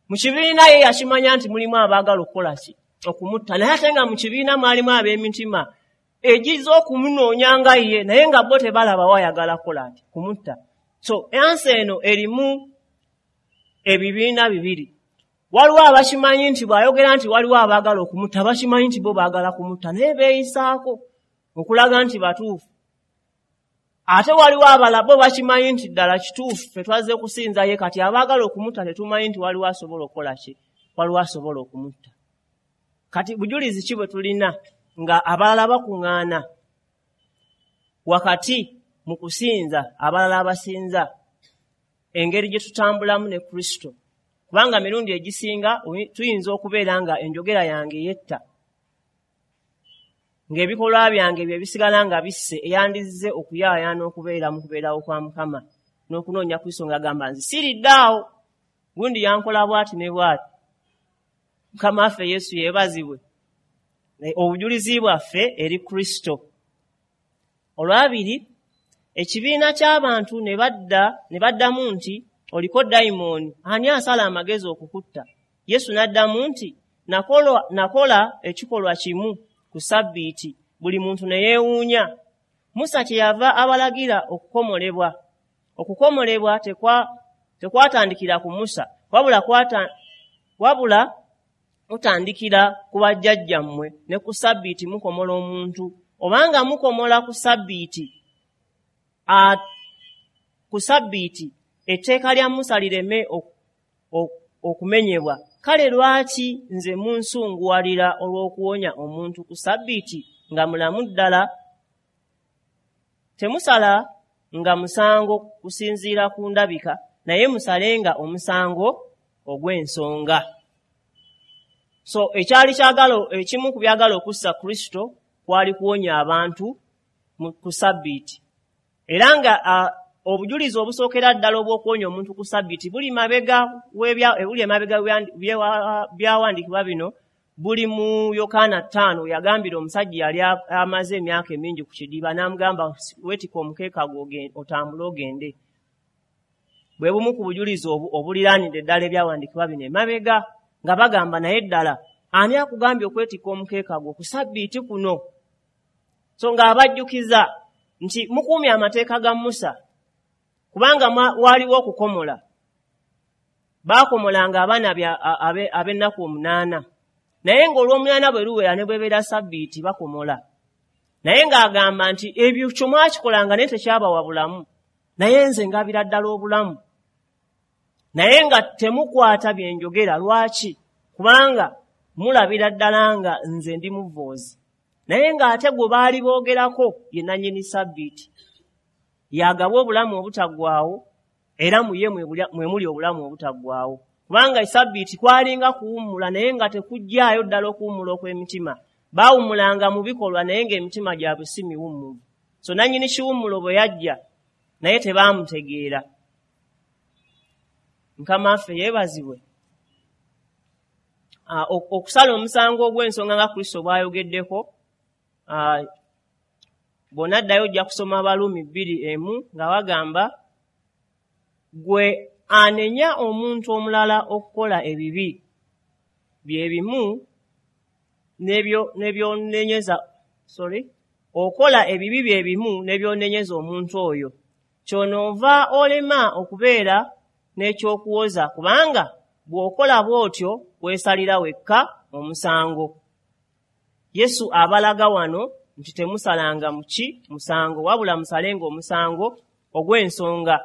Mu kibiina ye yakimanya nti mulimu abaagala okukola ki? Okumutta. Naye ate nga mu kibiina mwalimu ab'emitima egizza okumunoonya nga ye, naye nga bo tebalaba wayagala kukola ati kumutta. So ensi eno erimu ebibiina bibiri. Waliwo abakimanyi nti bw'ayogera nti waliwo abaagala okumutta, bakimanyi nti bo baagala kumutta, naye beeyisaako okulaga nti batuufu. Ate waliwo abalala bo bakimanyi nti ddala kituufu, ffe twazze kusinza ye, kati abaagala okumutta tetumanyi nti waliwo asobola okukola ki, waliwo asobola okumutta. Kati bujulizi ki bwe tulina nga abalala bakuŋŋaana wakati mu kusinza, abalala abasinza, engeri gye tutambulamu ne Kristo? Kubanga mirundi egisinga tuyinza okubeera nga enjogera yange yetta, ng'ebikolwa byange bye bisigala nga bisse eyandizze okuyaayaana okubeera mu kubeerawo kwa Mukama n'okunoonya Kristo, ng'agamba nze siriddaawo, gundi yankola bw'ati ne bw'ati. Mukama waffe Yesu yeebazibwe. Obujulizi bwaffe eri Kristo. Olwabiri, ekibiina ky'abantu ne baddamu nti oliko dayimooni, ani asala amagezi okukutta? Yesu n'addamu nti nakola ekikolwa kimu ku Ssabbiiti, buli muntu ne yeewuunya. Musa kyeyava abalagira okukomolebwa. Okukomolebwa tekwatandikira ku Musa, wabula kutandikira ku bajjajjammwe, ne ku Ssabbiiti mukomola omuntu. Obanga mukomola ku Ssabbiiti, etteeka lya Musa lireme okumenyebwa. Kale lwaki nze munsunguwalira olw'okuwonya omuntu ku Ssabbiiti nga mulamu ddala? Temusala nga musango kusinziira ku ndabika, naye musalenga omusango ogw'ensonga. So ekyali kyagala, ekimu ku byagala okussa Kristo kwali kuwonya abantu ku Ssabbiiti. Era nga obujulizi obusookera ddala obw'okuwonya omuntu ku Ssabbiiti buli emabega byawandiikibwa bino, buli mu Yokaana 5, yagambira omusajja yali amaze emyaka emingi ku kidiba, n'amugamba weetika omukeeka gwo otambule ogende. Bwe bumu ku bujulizi obuliraanidde ddala ebyawandiikibwa bino emabega, nga bagamba naye ddala ani akugambye okwetikka omukeeka gwo ku Ssabbiiti kuno? So ng'abajjukiza nti mukuumye amateeka ga Musa, kubanga waaliwo okukomola. Baakomolanga abaana ab'ennaku 8, naye ng'olw'omunaana bwe luwera ne bwebeera Ssabbiiti bakomola. Naye ng'agamba nti ebyo kyo mwakikolanga naye tekyabawa bulamu, naye nze ngabira ddala obulamu. Naye nga temukwata bye njogera. Lwaki? Kubanga mulabira ddala nga nze ndi muvoozi. Naye ng'ate gwe baali boogerako ye nannyini Ssabbiiti, yagaba obulamu obutaggwaawo, era mu ye mwe muli obulamu obutaggwaawo. Kubanga Ssabbiiti kwalinga kuwummula, naye nga tekuggyaayo ddala okuwummula okw'emitima. Baawummulanga mu bikolwa, naye ng'emitima gyabwe si miwummuvu. So nannyini kiwummulo bwe yajja, naye tebaamutegeera. Mukama waffe yeebazibwe. Okusala omusango ogw'ensonga nga Kristo bw'ayogeddeko, bw'onaddayo ojja kusoma Abaruumi 2:1 nga bagamba gwe anenya omuntu omulala okukola ebibi bye bimu n'ebyonenyeza, okola ebibi bye bimu n'ebyonenyeza omuntu oyo, kyonoova olema okubeera n'ekyokuwoza, kubanga Bw'okola bw'otyo weesalira wekka omusango. Yesu abalaga wano nti temusalanga muki musango, wabula musalenga omusango ogw'ensonga.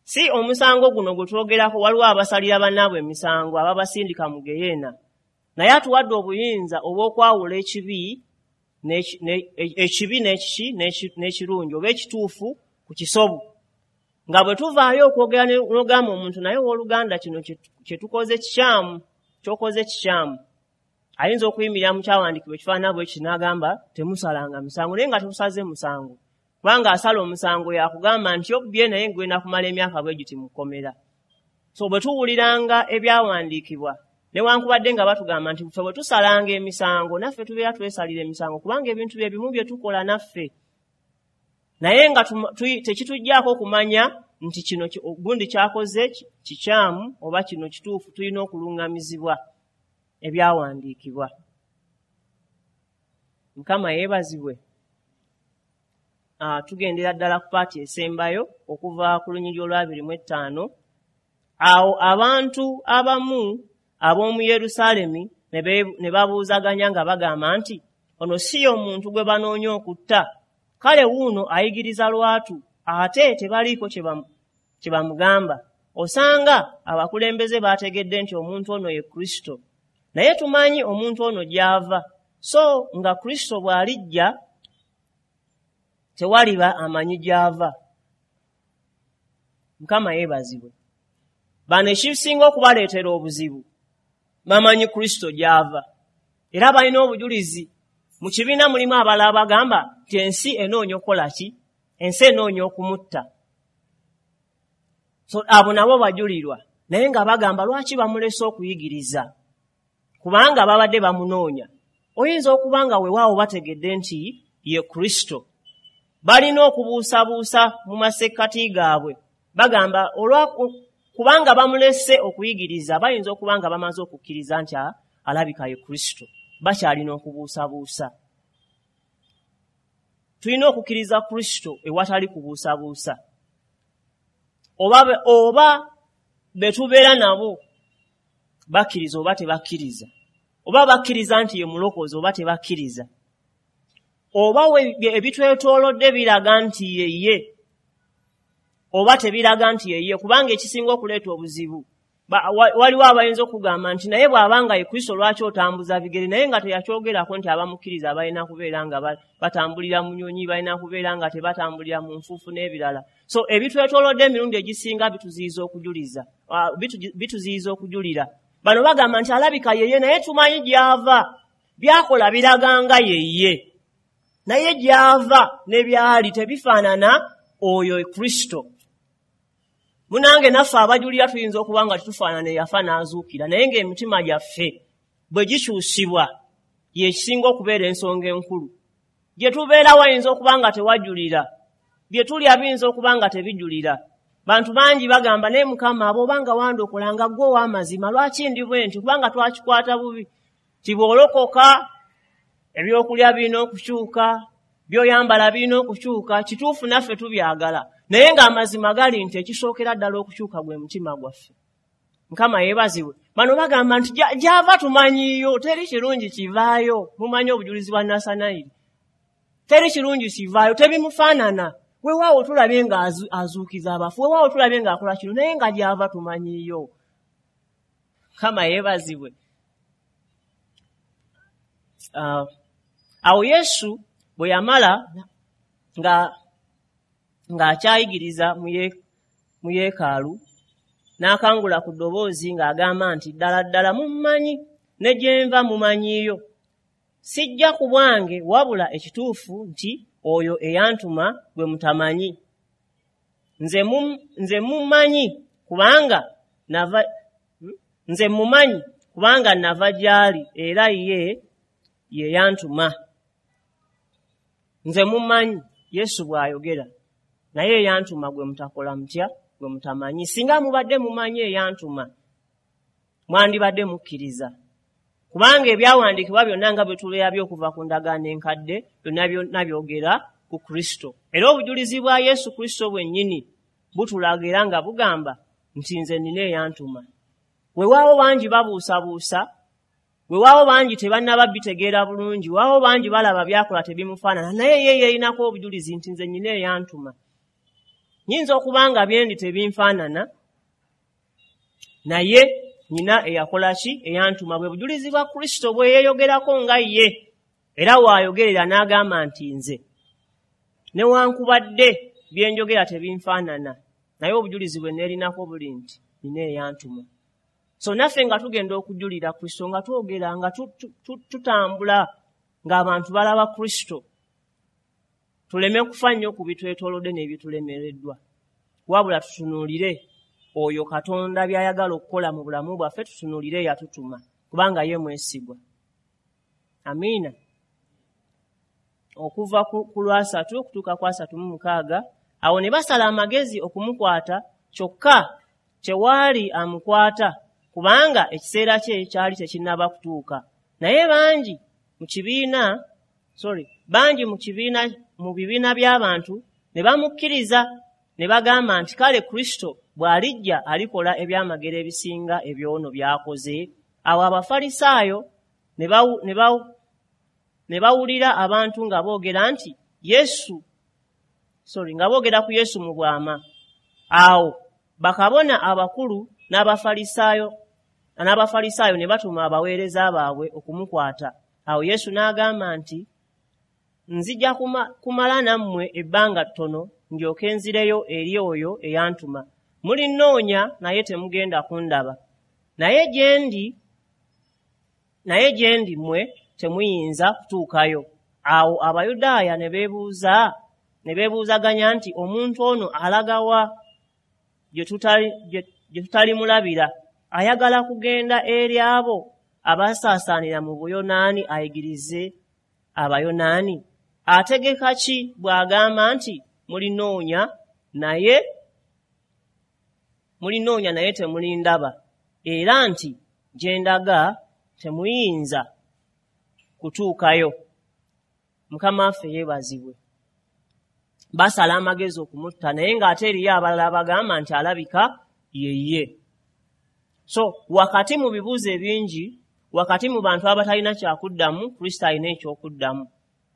Si omusango guno gwe twogerako, waliwo abasalira bannaabwe emisango ababasindika mu geyeena. Naye atuwadde obuyinza obw'okwawula ekibi ekibi n'ekiki n'ekirungi oba ekituufu ku kisobu. Nga bwe tuvaayo okwogera n'ogamba omuntu, naye owooluganda kino kye tukoze kikyamu, ky'okoze kikyamu. Ayinza okuyimirira mu kyawandiikibwa ekifaanana bwe kiti n'agamba temusalanga misango, naye nga tetusaze musango. Kubanga asala omusango yakugamba nti obbye naye ngenda kumala emyaka bwe giti mu kkomera. So bwe tuwuliranga ebyawandiikibwa, newankubadde nga batugamba nti ffe bwe tusalanga emisango, naffe tubeera twesalira emisango, kubanga ebintu bye bimu bye tukola naffe. Naye nga tekituggyako okumanya nti kino gundi kyakoze kikyamu oba kino kituufu, tulina okuluŋŋamizibwa ebyawandiikibwa. Mukama yeebazibwe. Tugendera ddala ku paati esembayo okuva ku lunyiriri olwa 25. Awo abantu abamu ab'omu Yerusaalemi ne babuuzaganya nga bagamba nti, ono si ye omuntu gwe banoonya okutta? Kale wuuno ayigiriza lwatu, ate tebaliiko kye bamugamba. Osanga abakulembeze baategedde nti omuntu ono ye Kristo. Naye tumanyi omuntu ono gy'ava, so nga Kristo bw'alijja tewaliba amanyi gy'ava. Mukama yeebazibwe. Bano ekisinga okubaleetera obuzibu, bamanyi Kristo gy'ava era balina obujulizi. Mu kibiina mulimu abalala bagamba nti ensi enoonya okukola ki? Ensi enoonya okumutta. So abo nabo bajulirwa, naye nga bagamba lwaki bamulese okuyigiriza, kubanga babadde bamunoonya. Oyinza okuba nga weewaawo bategedde nti ye Kristo, balina okubuusabuusa mu masekkati gaabwe. Bagamba kubanga bamulese okuyigiriza, bayinza okuba nga bamaze okukkiriza nti alabika ye Kristo, bakyalina okubuusabuusa. Tulina okukkiriza Kristo ewatali kubuusabuusa. Oba be tubeera nabo bakkiriza oba tebakkiriza, oba bakkiriza nti ye mulokozi oba tebakkiriza, oba ebitwetoolodde biraga nti ye ye oba tebiraga nti ye ye. Kubanga ekisinga okuleeta obuzibu, waliwo abayinza okugamba nti naye bw'abanga ye Kristo lwaki otambuza bigere, naye nga teyakyogerako nti abamukkiriza balina kubeera nga batambulira mu nyonyi, balina kubeera nga tebatambulira mu nfuufu n'ebirala. So ebitwetoolodde emirundi egisinga bituziyiza okujuliza, bituziyiza okujulira. Bano bagamba nti alabika yeye, naye tumanyi gy'ava, byakola biraga nga yeye, naye gy'ava ne byali tebifaanana oyo Kristo. Munange naffe abajulira tuyinza okuba nga tetufaanana eyafa n'azuukira, naye ng'emitima gyaffe bwe gikyusibwa yekisinga okubeera ensonga enkulu. Gye tubeera wayinza okuba nga tewajulira, bye tulya biyinza okuba nga tebijulira. Bantu bangi bagamba, naye Mukama, abo obanga wandokola nga ggwe ow'amazima, lwaki ndi bwe nti? Kubanga twakikwata bubi ti bw'olokoka ebyokulya birina okukyuka, by'oyambala birina okukyuka. Kituufu, naffe tubyagala, naye ng'amazima gali nti ekisookera ddala okukyuka gwe mutima gwaffe. Mukama yeebazibwe. Bano bagamba nti gy'ava tumanyiiyo, teri kirungi kivaayo. Mumanyi obujulizi bwa Nasanayiri, teri kirungi kivaayo, tebimufaanana. Weewaawo tulabye nga azuukiza abafu, weewaawo tulabye ng'akola kino, naye nga gy'ava tumanyiiyo. Mukama yeebazibwe. Awo Yesu bwe yamala nga ng'akyayigiriza mu yeekaalu, n'akangula ku ddoboozi ng'agamba nti, ddala ddala mummanyi, ne gye nva mumanyiiyo. Sijja ku bwange, wabula ekituufu nti oyo eyantuma gwe mutamanyi. Nze mummanyi kubanga nava, nze mumanyi kubanga nava gy'ali, era ye ye yantuma. Nze mummanyi, Yesu bw'ayogera, naye eyantuma gwe mutakola mutya? Gwe mutamanyi. Singa mubadde mumanyi eyantuma, mwandibadde mukkiriza, kubanga ebyawandiikibwa byonna nga bwe tulabye okuva ku ndagaano enkadde byonna byonna byogera ku Kristo. Era obujulizi bwa Yesu Kristo bwennyini butulaga era nga bugamba nti nze nina eyantuma. Weewaawo bangi babuusabuusa, weewaawo bangi tebannaba bitegeera bulungi, weewaawo bangi balaba by'akola tebimufaanana, naye ye yeerinako obujulizi nti nze nnyina eyantuma. Nnyinza okuba nga byendi tebinfaanana, naye nnyina eyakola ki? Eyantuma. Bwe bujulizi bwa Kristo bwe yeeyogerako nga ye, era w'ayogerera n'agamba nti nze newankubadde bye njogera tebinfaanana, naye obujulizi bwe neerinako buli nti nnyina eyantuma. So naffe nga tugenda okujulira Kristo, nga twogera, nga tutambula ng'abantu balaba Kristo, tuleme kufa nnyo ku bitwetoolodde n'ebitulemereddwa, wabula tutunuulire oyo Katonda by'ayagala okukola mu bulamu bwaffe, tutunuulire eyatutuma, kubanga ye mwesigwa. Amiina. Okuva ku lwasatu okutuuka ku 36, awo ne basala amagezi okumukwata, kyokka tewaali amukwata, kubanga ekiseera kye kyali tekinnaba kutuuka. Naye bangi mu kibiina, bangi mu kibiina, mu bibiina by'abantu ne bamukkiriza, ne bagamba nti kale Kristo bw'alijja alikola ebyamagero ebisinga ebyono by'akoze. Awo Abafalisaayo ne bawulira abantu nga boogera nti Yesu, nga boogera ku Yesu mu bwama. Awo bakabona abakulu n'Abafalisaayo ne batuma abaweereza baabwe okumukwata. Awo Yesu n'agamba nti nzija kumala nammwe ebbanga ttono, ndyoke nzireyo eri oyo eyantuma. Mulinnoonya naye temugenda kundaba, naye gye ndi mmwe temuyinza kutuukayo. Awo Abayudaaya ne beebuuzaganya nti omuntu ono alaga wa gye tutalimulabira? Ayagala kugenda eri abo abasaasaanira mu Buyonaani ayigirize Abayonaani? Ategeka ki bw'agamba nti mulinoonya naye temulindaba, era nti gye ndaga temuyinza kutuukayo? Mukama waffe yeebazibwe. Basala amagezi okumutta, naye ng'ate eriyo abalala bagamba nti alabika ye ye. So wakati mu bibuuzo ebingi, wakati mu bantu abatalina kyakuddamu, Kristo alina ekyokuddamu.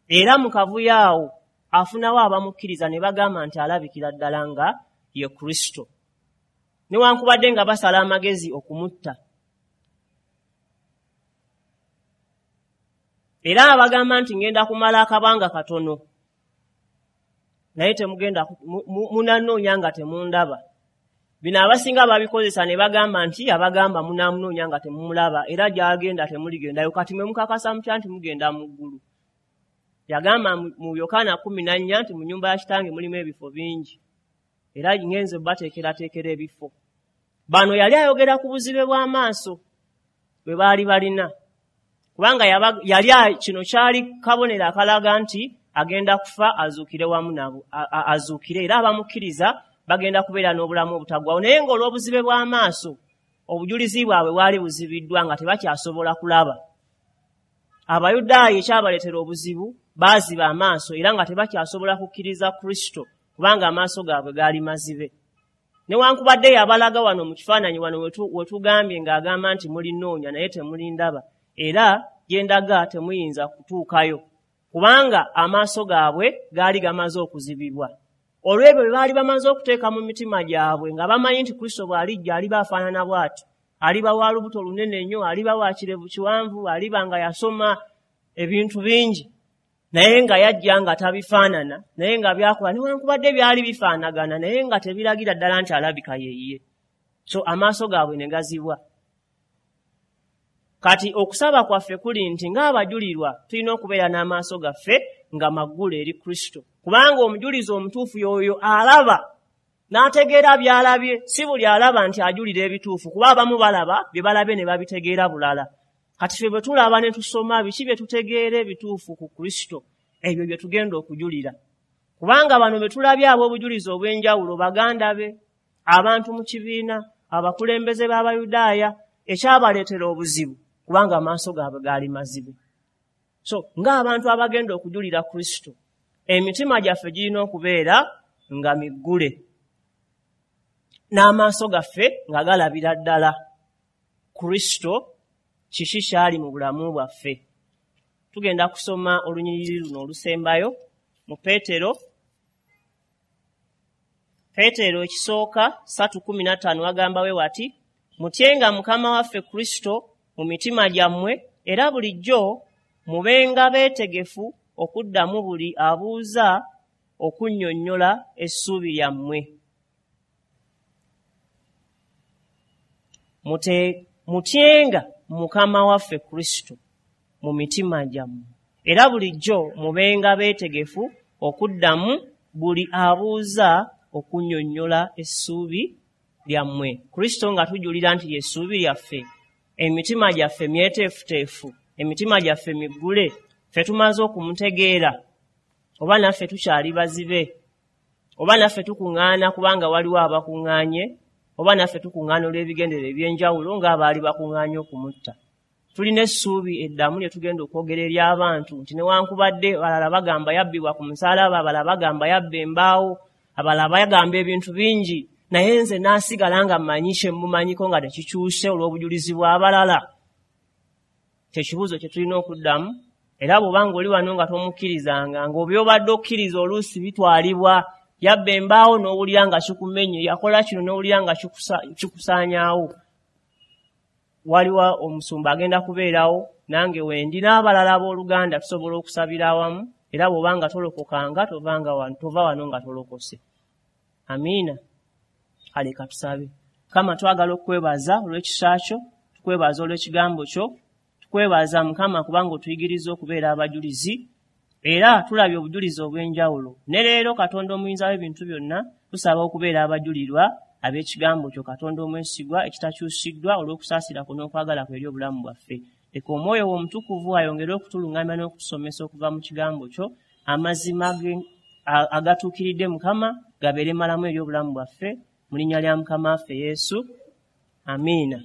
Era mu kavuyo awo afunawo abamukkiriza ne bagamba nti alabikira ddala nga ye Kristo, newankubadde nga basala amagezi okumutta. Era abagamba nti ngenda kumala akabanga katono, naye temugenda munanoonya nga temundaba. Bino abasinga babikozesa ne bagamba nti abagamba munamunoonya nga temumulaba, era gy'agenda temuligendayo. Kati mwe mukakasa mutya nti mugenda mu ggulu? Yagamba mu Yokaana 14 nti mu nnyumba ya kitange mulimu ebifo bingi, era ngenze bateekerateekera ebifo. Bano yali ayogera ku buzibe bw'amaaso bwe baali balina, kubanga yali kino kyali kabonero akalaga nti agenda kufa azuukire wamu nabo, azuukire, era abamukkiriza bagenda kubeera n'obulamu obutaggwaawo. Naye ng'olw'obuzibe bw'amaaso obujulizi bwabwe bwali buzibiddwa nga tebakyasobola kulaba. Abayudaaya ekyabaleetera obuzibu baaziba amaaso era nga tebakyasobola kukkiriza Kristo, kubanga amaaso gaabwe gaali mazibe. Newankubadde yabalaga wano mu kifaananyi wano wetugambye ng'agamba nti mulinoonya naye temulindaba, era gye ndaga temuyinza kutuukayo, kubanga amaaso gaabwe gaali gamaze okuzibibwa. Olw'ebyo bye baali bamaze okuteeka mu mitima gyabwe, nga bamanyi nti Kristo bw'alijja aliba afaanana bw'ati, aliba wa lubuto lunene nnyo, aliba wa kirevu kiwanvu, aliba nga yasoma ebintu bingi, naye nga yajja nga tabifaanana, naye nga byakola newankubadde byali bifaanagana, naye nga tebiragira ddala nti alabika ye ye. So amaaso gaabwe ne gazibwa. Kati okusaba kwaffe kuli nti ng'abajulirwa tulina okubeera n'amaaso gaffe nga maggule eri Kristo, kubanga omujulizi omutuufu y'oyo alaba n'ategeera by'alabye. Si buli alaba nti ajulira ebituufu, kuba abamu balaba bye balabye ne babitegeera bulala. Kati ffe bwe tulaba ne tusoma biki bye tutegeera ebituufu ku Kristo, ebyo bye tugenda okujulira. Kubanga bano be tulabye ab'obujulizi obw'enjawulo, baganda be, abantu mu kibiina, abakulembeze b'Abayudaaya, ekyabaleetera obuzibu kubanga amaaso gaabwe gaali mazibe. So ng'abantu abagenda okujulira Kristo, emitima gyaffe girina okubeera nga miggule, n'amaaso gaffe nga galabira ddala. Kristo kiki kyali mu bulamu bwaffe. Tugenda kusoma olunyiriri luno olusembayo mu Peetero. Peetero ekisooka 3:15 wagamba we wati, mutyenga Mukama waffe Kristo mu mitima gyammwe, era bulijjo mubenga beetegefu okuddamu buli abuuza okunnyonnyola essuubi lyammwe. Mutyenga Mukama waffe Kristo mu mitima gyammwe, era bulijjo mubenga beetegefu okuddamu buli abuuza okunnyonnyola essuubi lyammwe. Kristo nga tujulira nti ly'essuubi lyaffe, emitima gyaffe myeteefuteefu, emitima gyaffe miggule, ffe tumaze okumutegeera, oba naffe tukyali bazibe, oba naffe tukuŋŋaana kubanga waliwo abakuŋŋaanye, oba naffe tukuŋŋaana olw'ebigendero eby'enjawulo ng'abaali bakuŋŋaanye okumutta. Tulina essuubi eddamu lye tugenda okwogera eri abantu nti newankubadde abalala bagamba yabbibwa ku musaalaba, abalala bagamba yabba embaawo, abalala bagamba ebintu bingi, naye nze naasigala nga mmanyi kye mmumanyiko nga tekikyuse olw'obujulizi bw'abalala. Kyekibuuzo kye tulina okuddamu. Era bw'obanga oli wano nga tomukkirizanga, ng'obyobadde okkiriza oluusi bitwalibwa, yabba embaawo n'owulira nga kikumenye, yakola kino n'owulira nga kikusaanyaawo. Waliwo omusumba agenda kubeerawo, nange wendi n'abalala abooluganda tusobola okusabira awamu, era bw'obanga tolokokanga tova wano nga tolokose. Amiina. Kale katusabe. Mukama, twagala okukwebaza olw'ekisa kyo, tukwebaza olw'ekigambo kyo, tukwebaza Mukama kubanga otuyigiriza okubeera abajulizi, era tulabye obujulizi obw'enjawulo. Ne leero Katonda omuyinza w'ebintu byonna, tusaba okubeera abajulirwa ab'ekigambo kyo Katonda omwesigwa ekitakyusiddwa olw'okusaasira kwo n'okwagala kwe eri obulamu bwaffe. Leka Omwoyo wo Omutukuvu ayongere okutuluŋŋamya n'okutusomesa okuva mu kigambo kyo, amazima agatuukiridde Mukama gabeere malamu eri obulamu bwaffe, mu linnya lya Mukama waffe Yesu. Amiina.